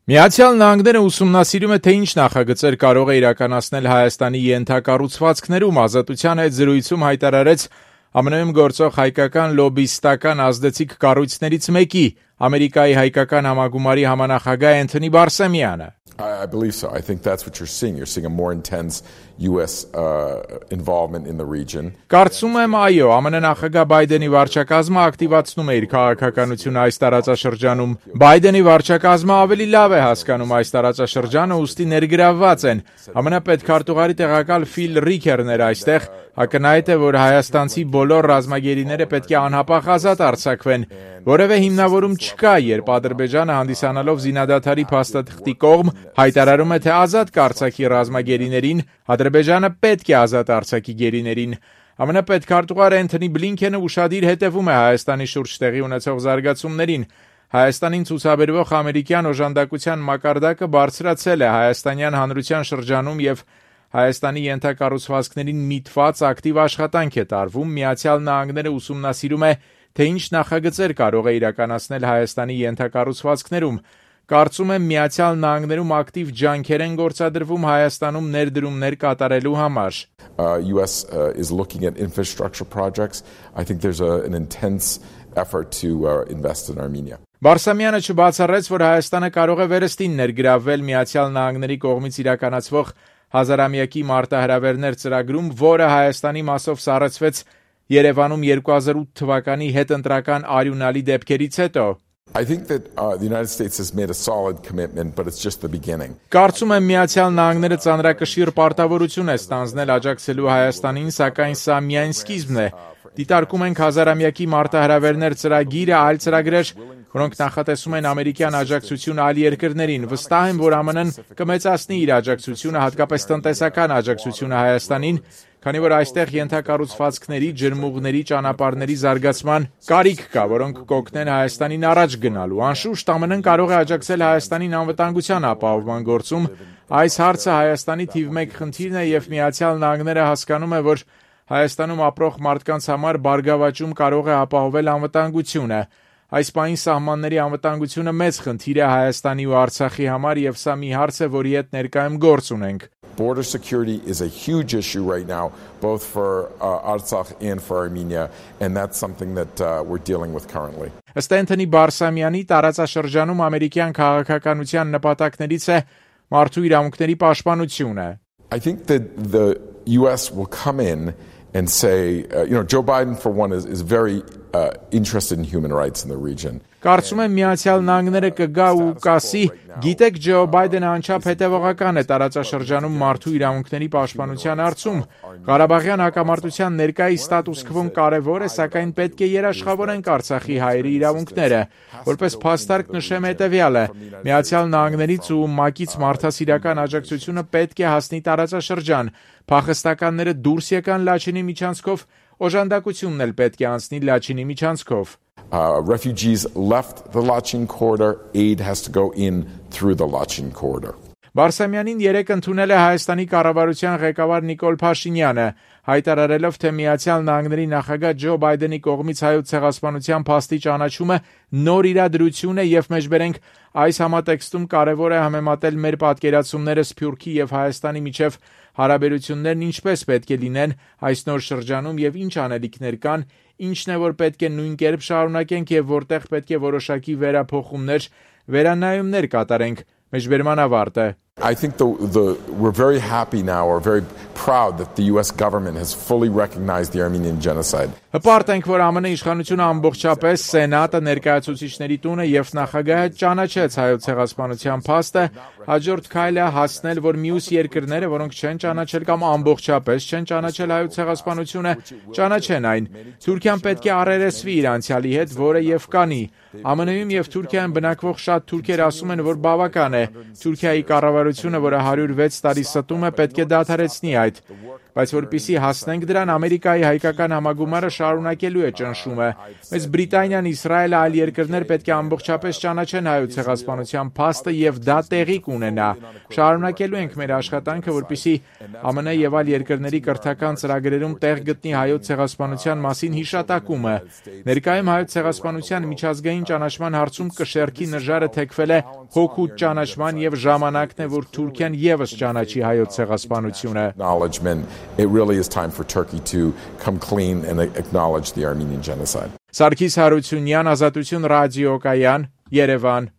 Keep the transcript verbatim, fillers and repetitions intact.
Միացյալ Նահանգները ուսումնասիրում է, թե ինչ նախագծեր կարող է իրականացնել Հայաստանի ենթակառուցվածքներում. Ազատության հետ զրույցում հայտարարեց ԱՄՆ-ում գործող հայկական լոբբիստական ազդեցիկ կառույցներից մեկի, Ամերիկայի հայկական համագումարի համանախագահ Էնթոնի Բարսեմյանը. I believe so. I think that's what you're seeing. You're seeing a more intense U S uh, involvement in the region. Կարծում եմ, այո, ԱՄՆ նախագահ Բայդենի վարչակազմը ակտիվացնում է իր քաղաքականությունը այս տարածաշրջանում։ Բայդենի վարչակազմը ավելի լավ է հասկանում այս տարածաշրջանը, ուստի ներգրավված են։ ԱՄՆ պետքարտուղարի տեղակալ Ֆիլ Ռիքերն էր այստեղ, ակնհայտ է, որ հայաստանցի բոլոր ռազմագերիները պետք է անհապաղ ազատ արձակվեն։ Որևէ հիմնավորում չկա, երբ Ադրբեջանը հանդիսանալով զինադադարի փաստաթղթի կողմ հայտարարում է, թե ազատ կարձակի ռազմագերիներին, Ադրբեջանը պետք է ազատ արձակի գերիներին։ ԱՄՆ պետքարտուղար Էնթոնի Բլինքենը ուշադիր հետևում է Հայաստանի շուրջ տեղի ունեցող զարգացումներին։ Հայաստանին ցուցաբերվող ամերիկյան օժանդակության մակարդակը բարձրացել է հայաստանյան հանրության շրջանում եւ Հայաստանի ենթակառուցվածքներին միտված ակտիվ աշխատանք է տարվում։ Միացյալ Նահանգները ուսումնասիրում է, թե ինչ նախագծեր կարող է իրականացնել Հայաստանի ենթակառուցվածքներում։ Կարծում եմ, Միացյալ Նահանգներում ակտիվ ջանքեր են գործադրվում Հայաստանում ներդրումներ կատարելու համար։ Uh, U S uh, is looking at infrastructure projects. I think there's a, an intense effort to uh, invest in Armenia. Բարսամյանը չբացառեց, որ Հայաստանը կարող է վերստին ներգրավվել Միացյալ Նահանգների կողմից իրականացվող հազարամյակի մարտահրավերներ ծրագրում, որը Հայաստանի մասով սառեցվեց Երևանում երկու հազար ութ թվականի հետընտրական արյունալի դեպքերից հետո։ I think that uh, the United States has made a solid commitment, but it's just the beginning. Կարծում եմ Միացյալ Նահանգները ծանրակշիռ պարտավորություն է ստանձնել աջակցելու Հայաստանին, սակայն սա միայն սկիզբն է։ Դիտարկում ենք հազարամյակի մարտահրավերներ ծրագիրը, այլ ծրագրեր, որոնք նախատեսում են ամերիկյան աջակցություն այլ երկրներին։ Վստահ եմ, որ ԱՄՆ-ն կմեծացնի իր աջակցությունը, հատկապես տնտեսական աջակցությունը Հայաստանին, քանի որ այստեղ ենթակառուցվածքների, ջրմուղների, ճանապարհների զարգացման կարիք կա, որոնք կօգնեն Հայաստանին առաջ գնալու։ Անշուշտ ԱՄՆ-ն կարող է աջակցել Հայաստանին անվտանգության ապահովման գործում։ Այս հարցը Հայաստանի թիվ մեկ խնդիրն է եւ Միացյալ Նահանգները հասկանում է, որ Հայաստանում ապրող մարդկանց համար բարգավաճում կարող է ապահովել անվտանգությունը։ Այս պահին սահմանների անվտանգությունը մեծ խնդիր է Հայաստանի ու Արցախի համար եւ սա մի հարց է, որի հետ ներկայում գործ ունենք։ Border security is a huge issue right now, both for uh, Artsakh and for Armenia, and that's something that uh, we're dealing with currently. Ըստ Էնթոնի Բարսամյանի, տարածաշրջանում ամերիկյան քաղաքականության նպատակներից է մարդու իրավունքների պաշտպանությունը։ I think that the U S will come in and say, uh, you know, Joe Biden, for one, is, is very uh, interested in human rights in the region. Կարծում եմ Միացյալ Նահանգները կգա ու կասի, գիտեք, Ջո Բայդենը անչափ հետևողական է տարածաշրջանում մարդու իրավունքների պաշտպանության հարցում։ Ղարաբաղյան հակամարտության ներկայիս ստատուս քվոն կարևոր է, սակայն պետք է երաշխավորենք Արցախի հայերի իրավունքները։ Որպես փաստարկ նշեմ հետևյալը. Միացյալ Նահանգներից ու ՄԱԿ-ից մարդասիրական աջակցությունը պետք է հասնի տարածաշրջան։ Փախստականները դուրս եկան Լաչինի միջանցքով, օժանդակությունն էլ պետք է անցնի Լաչինի միջանցքով։ Uh, refugees left the Lachin corridor, aid has to go in through the Lachin corridor. Բարսամյանին երեկ ընդունել է Հայաստանի կառավարության ղեկավար Նիկոլ Փաշինյանը, հայտարարելով, թե Միացյալ Նահանգների նախագահ Ջո Բայդենի կողմից հայոց ցեղասպանության փաստի ճանաչումը նոր իրադրություն է եւ մեջբերենք այս համատեքստում կարևոր է համեմատել մեր պատկերացումները Սփյուռքի եւ Հայաստանի միջև հարաբերություններն ինչպես պետք է լինեն այս նոր շրջանում եւ ինչ անելիքներ կան, ինչն է որ պետք է նույն կերպ շարունակենք եւ որտեղ պետք է որոշակի վերափոխումներ, վերանայումներ կատարենք։ Մեջբերման ավարտ է։ I think the, the, we're very happy now, or very proud that the U S government has fully recognized the Armenian genocide. Հպարտ ենք, որ ԱՄՆ իշխանությունը ամբողջապես Սենատը, ներկայացուցիչների տունը եւ նախագահը ճանաչեց հայոց ցեղասպանության փաստը, հաջորդ քայլը հասնել, որ մյուս երկրները, որոնք չեն ճանաչել կամ ամբողջապես չեն ճանաչել հայոց ցեղասպանությունը, ճանաչեն այն։ Թուրքիան պետք է առերեսվի իր անցյալի հետ, որը եւ կանի։ ԱՄՆ-ում եւ Թուրքիայում բնակվող շատ թուրքեր ասում են, որ բավական է։ Թուրքիայի կառավարությունը, որը հարյուր վեց տարի ստում է, պետք է դադարեցնի այդ։ Բայց որպեսզի հասնենք դրան, Ամերիկայի հայկական համագումարը շարունակելու է ճնշումը։ Մեծ Բրիտանիան, Իսրայելը, այլ երկրներ պետք է ամբողջապես ճանաչեն Հայոց ցեղասպանության փաստը եւ դա տեղի կունենա։ Շարունակելու ենք մեր աշխատանքը, որպեսզի ԱՄՆ եւ այլ երկրների կրթական ծրագրերում տեղ գտնի Հայոց ցեղասպանության մասին հիշատակումը։ Ներկայում Հայոց ցեղասպանության միջազգային ճանաչման հարցում կշեռքի նժարը թեքվել է հօգուտ ճանաչման եւ ժամանակն է, որ Թուրքիան եւս ճանաչի Հայոց ցեղասպանությունը։ It really is time for Turkey to come clean and acknowledge the Armenian genocide. Սարգիս Հարությունյան, Ազատություն ռադիոկայան, Երևան։